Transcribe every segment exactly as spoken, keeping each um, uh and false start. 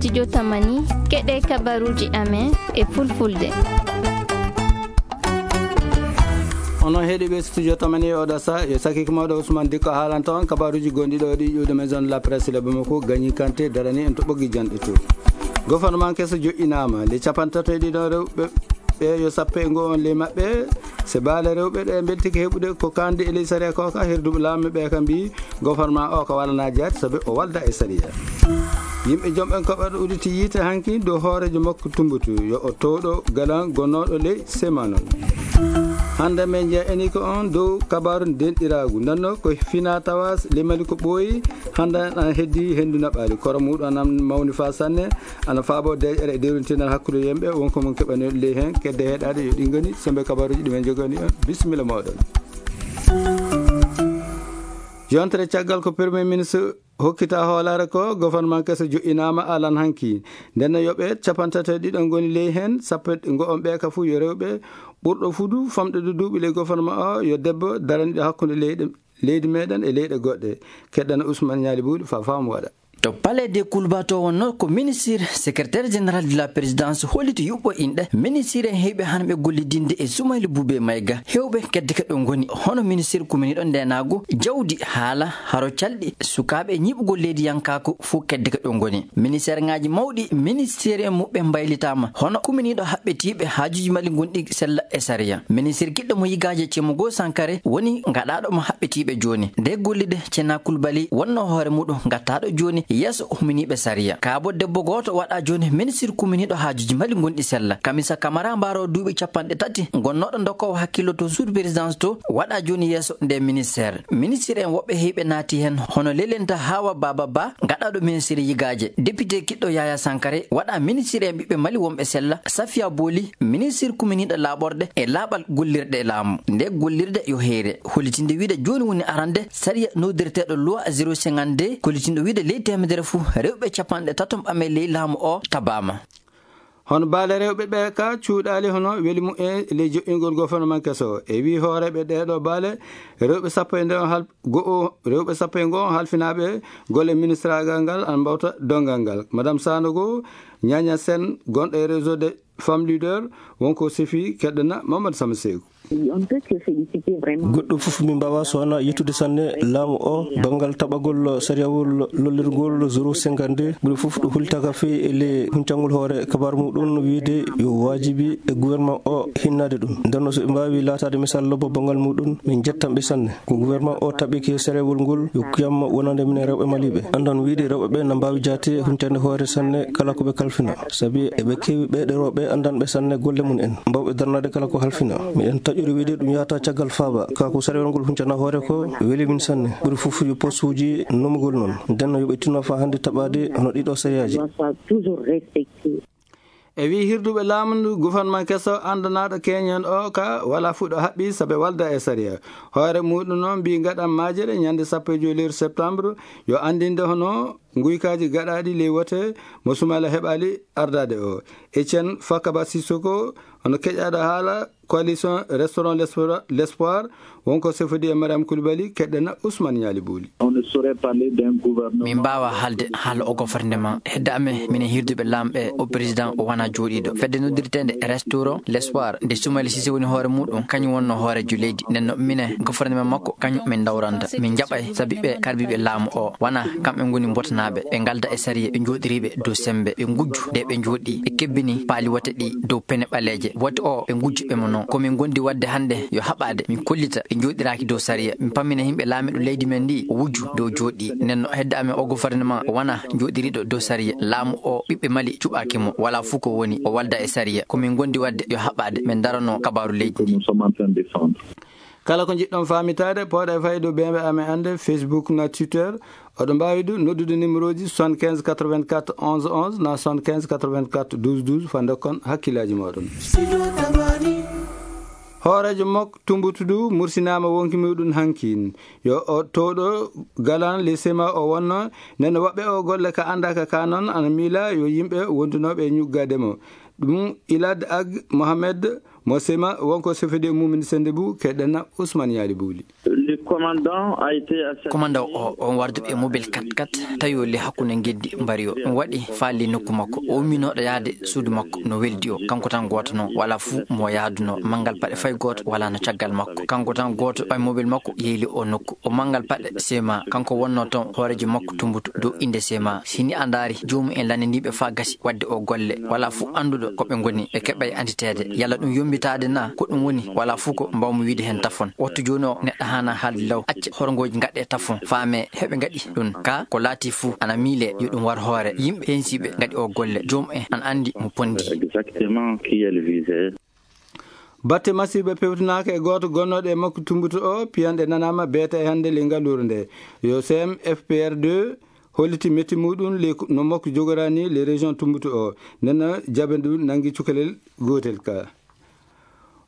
Studio Tamani, keɗe kabaruji amen e fulfulde. Onon heɗiɓe Studio Tamani e oɗo sa, yo sakiki mawɗo Ousmane Dikko haalanta on kabaruji gonɗi ɗo ɗi ƴuwde Maison de la Presse le Bamako, Gagny Kanté darani en to ɓoggi janɗe to. Gouvernement keso joƴƴinama, le capantato e ɗiɗo rewɓe ɓe yo sappe e ngo on ley maɓɓe. Se baale rewɓe ɗe mbeltike heɓude ko kandi e ley sariya ko ka herduɓe laamu ɓe ka mbi gouvernement o ka walana jaati sabi o walda e sariya. Yimɓe jom en koɓat uditi yiite hanki dow hoorejo makko Tumbutu yo o towɗo galan gonnoɗo ley semanon. Hande men jeya eni ko on dow kabaru denɗiragu nanno ko fina tawas limali ko ɓooyi. Hande an heddi hendu naɓali koro muɗum an mawni fa sanne. Ana faabo deƴƴere e dewrintinal hakkunde yimɓe wonko mon keɓani ley hen kedde heɗaɗe yo ɗi ngoni sembe kabaruji ɗi men jogani on. Bisimilla moɗon. Yontere caggal ko premier ministre hokkita hoolare ko gouvernement keso joƴƴinama alan hanki. Nden no yoɓe capantato e ɗiɗo ngoni ley hen sappo e ngo on ɓe ka fu yo rewɓe ɓurɗo fudu famɗude duuɓi ley gouvernement o yo debbo daraniɗo hakkunde leyɗe leydi meɗen e leyɗe goɗɗe. Keɗɗana Ousmane Ñaali Buuɗi fa faamu waɗa. To palais de Kulba to wonno ko ministre secrétaire général de la présidence holliti yuɓɓo inɗe ministre en heɓe hanɓe gollidinde e Soumaïla Boubé Maïga hewɓe kedde ke ɗo ngoni hono ministre kuminiɗo ndenago jawdi haala haro calɗi sukaɓe ñiɓugol leydi yankaku fof kedde ke ɗo ngoni ministère ngaji mawɗi ministère en muɓɓe mbaylitama hono kuminiɗo haɓɓetiɓe haajuji mali gonɗi sella e sariya ministre kiɗɗo mo yigaji cemo goo sankare woni gaɗaɗo mo haɓɓetiɓe joni nde gollide cena kulbali wonno hoore muɗum gattaɗo joni yeeso huminiɓe sariya kaabo debbo goto waɗa joni ministre kuminiɗo haajuji mali gonɗi sella kamisa kamara mbaro duuɓi capanɗe tati gonnoɗo dokkowo hakkillo to sous présidence to waɗa joni yeeso nde ministère ministre en woɓɓe heyɓe naati hen hono lelenta hawa baba ba gaɗaɗo ministre yigaje député kiɗɗo yaya sankare waɗa ministre en ɓiɓɓe mali wonɓe sella safiya booli ministre kuminiɗo laaɓorɗe e laaɓal gollirɗe e laamu nde gollirde yo heyre hollitinde wiide joni woni arande sariya nodirteɗo loi zéro cinquante deux kollitinɗo wiide ley temedere fuu rewɓe capanɗe tatom ɓame ley laamu o tabama. Hono baale rewɓe ɓe ka cuuɗaali hono weli mu e ley joƴƴingol gouvernement keso e wi hooreɓe ɗeɗo baale rewɓe sappo e nden hal go'o rewɓe sappo e ngo halfinaɓe golle ministragal ngal an mbawta dongal ngal madame sanogo ñaña sen gonɗo e réseau de femme leader wonko sefi keɗɗana mamadou sama seyku. Goɗɗo fof min mbawa sowona yettude sanne laamu o banngal taɓagol sariyawol lollirgol zéro cinquante deux ɓuri fof ɗo hultaka fewi e le huncangol hoore kabar muɗum wiide yo wajibi e gouvernement o hinnade ɗum ndenno so ɓe mbawi latade misal lobbo banngal muɗum min jettanɓe sanne ko gouvernement o taɓiki sariyawol ngol yo kuyamma wonande minen rewɓe maliɓe andan wiide rewɓe ɓe na mbawi jaate huncande hoore sanne kala ko ɓe kalfina sabi eɓe kewi ɓeɗe rewɓe andanɓe sanne golle mum en mbawɓe darnade kala ko halfina miɗen taƴori wiide ɗum yahata caggal faaba ka ko sarewol ngol huncana hoore ko weli min sanne ɓuri fof yo postuji nomugol noon ndenno yoɓe tinno fa hannde taɓade hono ɗiɗo sariyaji. E wi hirduɓe laamu ndu gouvernement keso andanaɗo keñen o ka wala fuɗɗo haɓɓi saabe walda e sariya hoore muɗum noon mbi gaɗan majere ñande sappo e joyi lewru septembre yo andinde hono guykaji gaɗaɗi ley wote mo sumala heɓali ardade o etienne fakaba sissoko hono keƴaɗo haala coalition restaurant l'espoir wonko sefodi e mariam koulibaly keɗɗena ousmane ñaali bouli. Min mbawa haalde haala o gouvernement hedde amen minen hirduɓe lamɓe o président o wona jooɗiɗo fedde noddirtede restaurant l'espoir nde sumali sise woni hoore muɗum kañum wonno hoorejo leydi nenno minen gouvernement makko kañum min dawranta min jaɓay saabi ɓe karbiɓe laamu o wona kamɓe goni mbotanaɓe ɓe galda e sariya ɓe jooɗiriɓe dow sembe ɓe gujju nde ɓe jooɗi ɓe kebbini paali wote ɗi dow pene ɓaleeje wote o ɓe gujju ɓe mo noon komin gondi wadde hannde yo haɓaade min kollita ɓe jooɗiraaki dow sariya min pammina yimɓe laamiɗo leydi men ndi o wujju dow jooɗi nenno hedde amen o gouvernement wona jooɗiriɗo dow sariya laamu o ɓiɓɓe mali cuɓaaki mo wala fuu ko woni o walda e sariya komin gondi wadde yo haɓaade min darano kabaru leydi ndi. Kala ko njiɗɗon faamitaade pooɗa e fayde beembe amen annde facebook na twitter oɗo mbaawi ɗum noddude numéro ji soixante-quinze quatre-vingt-quatre onze onze na soixante-quinze quatre-vingt-quatre douze douze fa ndokkon hakkillaaji mooɗon. Hooreejo mok tumbutudu mursinaama wonki muɗum hankin yo o towɗo galan le sema o wonno nden woɓɓe o golle ka anndaaka ka noon ana miila yo yimɓe wondunooɓe e ñuggaade mo ɗum ilad ag mohamed mo sema wonko sefede mumin sende bu keɗɗana ousmane yaali buuli. Commandant a été assassiné. Commandant o, on warduɓe e mobile quatre quatre, tawi o le hakkunde geddi mbari o. Ɗum waɗi faali nokku makko. O umminooɗo yaade suudu makko no weldi o. Kanko tan gooto noon, wala fuu mo yaadunoo. Manngal paɗe fay gooto wala no caggal makko. Kanko tan gooto ɓay mobile makko yeyli o nokku. O manngal paɗe sema, kanko wonnoo toon hooreejo makko tumbutu dow innde sema. Sini a ndaari, joomum en lanndiiɓe faa gasi waɗde o golle. Wala fuu annduɗo ko ɓe ngoni, ɓe keɓay anditeede. Yalla ɗum yombitaade na, ko ɗum woni, wala fuu ko mbawmi wiide heen tafon. Wattu jooni o, neɗɗo haana haalde law, acca horngooji ngaɗe tafon, faame heɓe ngaɗi ɗum. Ka ko laati fuu ana miile yo ɗum war hoore. Yimɓe heensiiɓe ngaɗi o golle, joom en ana anndi mo pondi. Exactement qui elle visait. Batte masiiɓe pewtanaaka e gooto gonnooɗo e makko tumbuto o, piyanɗe nanaama beeta e hannde le ngalluure nde. Yo C M F P R deux holliti metti muɗum le no makko jogorani le région tumbuto o. Nena jaɓe ndu nangi cukalel gootel ka.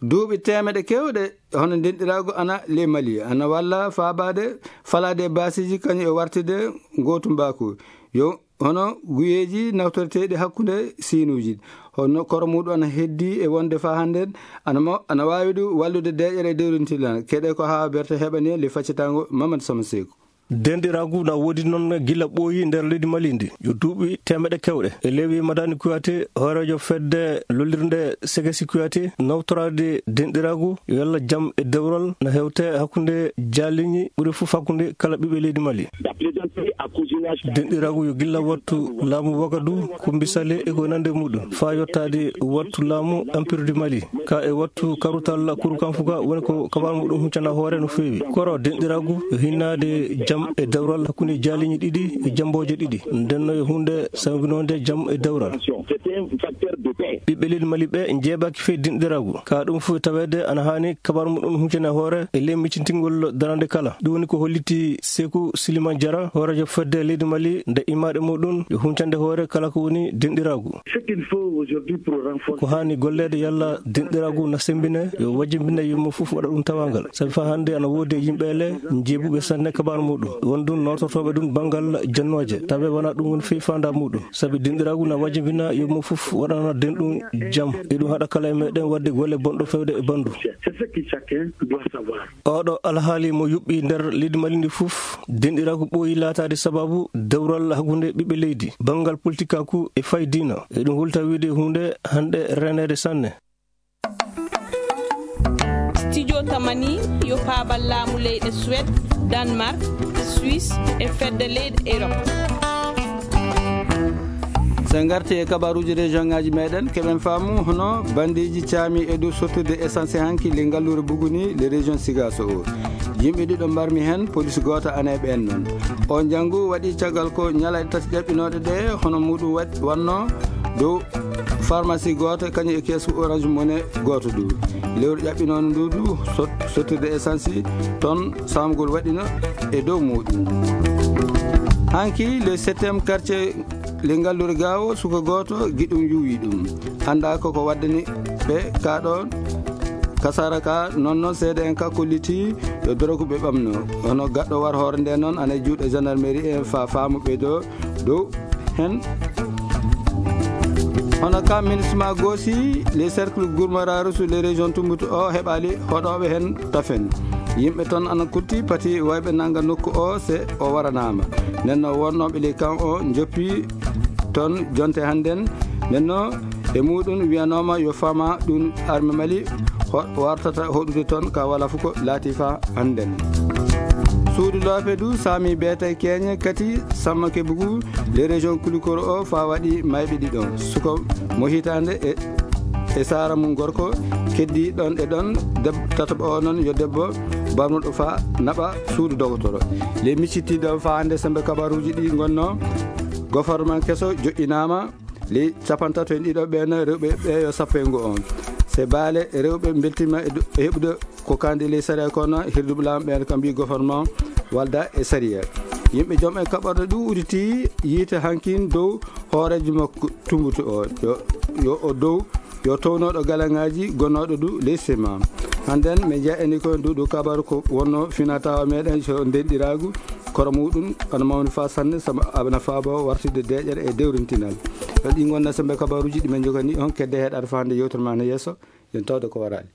Duuɓi teemeɗe kewɗe hono ndenɗiraagu ana le Mali, ana walla faabaade falaade baasiiji kañum e wartide ngootu mbaaku. Yo hono guyeeji nawtorteeɗi hakkunde siinuuji. Hono koro muɗum ana heddi e wonde faa hannden, ana mo-, ana waawi du wallude deeƴere e dewrintilan. Keɗe ko haa berte heɓani le faccitaango Mamad Sama Seeku. Denɗiraagu na woodi noon gila ɓooyi nder leydi Mali ndi. Yo duuɓi teemeɗe kewɗe. E lewi Madani Kouyaté, hooreejo fedde lollirnde Segesi Kouyaté, nawtoraade denɗiraagu, yo yalla jam e dewral na hewte hakkunde jaaliñi, ɓuri fof hakkunde kala ɓiɓɓe leydi Mali. Denɗiraagu yo gilla wattu laamu Wagadu, Kumbi Sale e ko nande muɗum, faa yottaade wattu laamu Empire du Mali. Ka e wattu karutal Kuru Kanfuka woni ko kabaru muɗum huccana hoore no feewi. Koro denɗiraagu yo hinnaade jam e dewral hakkunde jaaliñi ɗiɗi e jambooje ɗiɗi. Nden no yo huunde sawginoonde jam e dewral. Ɓiɓɓe leydi Mali ɓe njeebaaki fey denɗiraagu. Ka ɗum fof taweede ana haani kabaru muɗum huccana hoore e ley miccintingol darande kala. Ɗum woni ko holliti Seeku Siliman Jara, hooreejo fedde leydi Mali, nde imaade muɗum yo huncande hoore kala ko woni denɗiraagu. Ce qu'il faut aujourd'hui pour renforcer. Ko haani golleede yalla denɗiraagu na semmbine, yo wajjimbine yumma fof waɗa ɗum tawangal. Sabi faa hannde ana woodi e yimɓe ele njeebuɓe sanne kabaru muɗum. Won ɗum nootortooɓe ɗum banngal jonnooje. Tawi wonaa ɗum woni fii faandaa muɗum. Sabi denɗiraagu na wajjimbina yumma fof waɗana denɗum jam. E ɗum haɗa kala e meɗen waɗde golle bonɗo fewde e banndu. C'est ce que chacun doit savoir. Oɗo alhaali mo yuɓɓi nder leydi Mali ndi fof, denɗiraagu ɓooyi laataade sababu dewral hakkunde ɓiɓɓe leydi, banngal politikaaku e fay diina. E ɗum hulta wiide huunde hannde reneede sanne. Studio Tamani yo paabal laamu leyɗe Suède, Danemark, Suisse e fedde leyɗe Europe. So en ngarti e kabaruuji région ŋaaji meɗen, keɓen faamu hono bandeeji caami e dow sottude essence hanki le ngalluure Buguni, le région Sigaso o. Yimɓe ɗiɗo mbarmi heen, police gooto ana e ɓeen noon. O njanngu waɗi caggal ko ñalaaɗe tati ƴaɓɓinooɗe ɗe, hono muɗum waɗ-, wannoo dow pharmacie gooto, kañum e keesu Orange Money gooto du. Lewru ƴaɓɓinoono ndu du, sot-, sottude essence toon saamugol waɗino e dow muɗum. Hanki, le septième quartier le ngalluure Gaawo, suka gooto giɗum yuwi ɗum. Anndaa ko ko waddani ɓe ka ɗoon. Kasara ka noon noon seede'en ka kolliti yo dorogu ɓe ɓamno. Hono gaɗɗo war hoore nde noon ana e juuɗe gendarmerie en fa faamu ɓe do dow hen. Hono ka ministre ma goosi, les cercles gourmararu sur les régions Tumbutu o heɓali hoɗooɓe hen tafen. Yimɓe toon ana kutti pati wayɓe nanga nokku o se o waranaama. Nden no wonnooɓe ley kan o njoppi toon jonte hannden. Nden no e muɗum wiyanooma yo fama ɗum arme Mali ho-, wartata hoɗude toon ka wala fuko laati fa hannden. Suudu loope du saami beetay keeñe kati samma kebugu le région Kulikoro o fa waɗi mayɓe ɗiɗo. Suko mo hitaande e, e saara mum gorko keddi ɗon e ɗon deb-, tataɓo o noon yo debbo barmuɗo fa naɓa suudu dogotoro. Le miccitiiɗo fa hannde sembe kabaruuji ɗi ngonno goforman keso joƴƴinaama. Ley capantato e ɗiɗo ɓeen rewɓe ɓe yo sappo e ngo on. Se baale rewɓe mbeltima e do-, e heɓude ko kandi ley sariya kono hirduɓe laamu ɓeen kam mbi goforman walda e sariya. Yimɓe joom e kaɓorɗe ɗum uditi yiite hankin dow hooreejo makko Tumbutu o. Yo, yo o dow, yo townooɗo galaŋaaji gonnooɗo du ley sema. Hannden min njeya eni ko ndu ɗo kabaru ko wonno finatawa meɗen so ndenɗiraagu. Koro muɗum ana mawni fa sanne, sama abana faabo wartude deƴƴere e dewrintinal. Ɗon ɗi ngonna sembe kabaruuji ɗi min njogani on, kedde heɗaade fa hannde yewtere ma no yeeso, yen tawde ko waraali.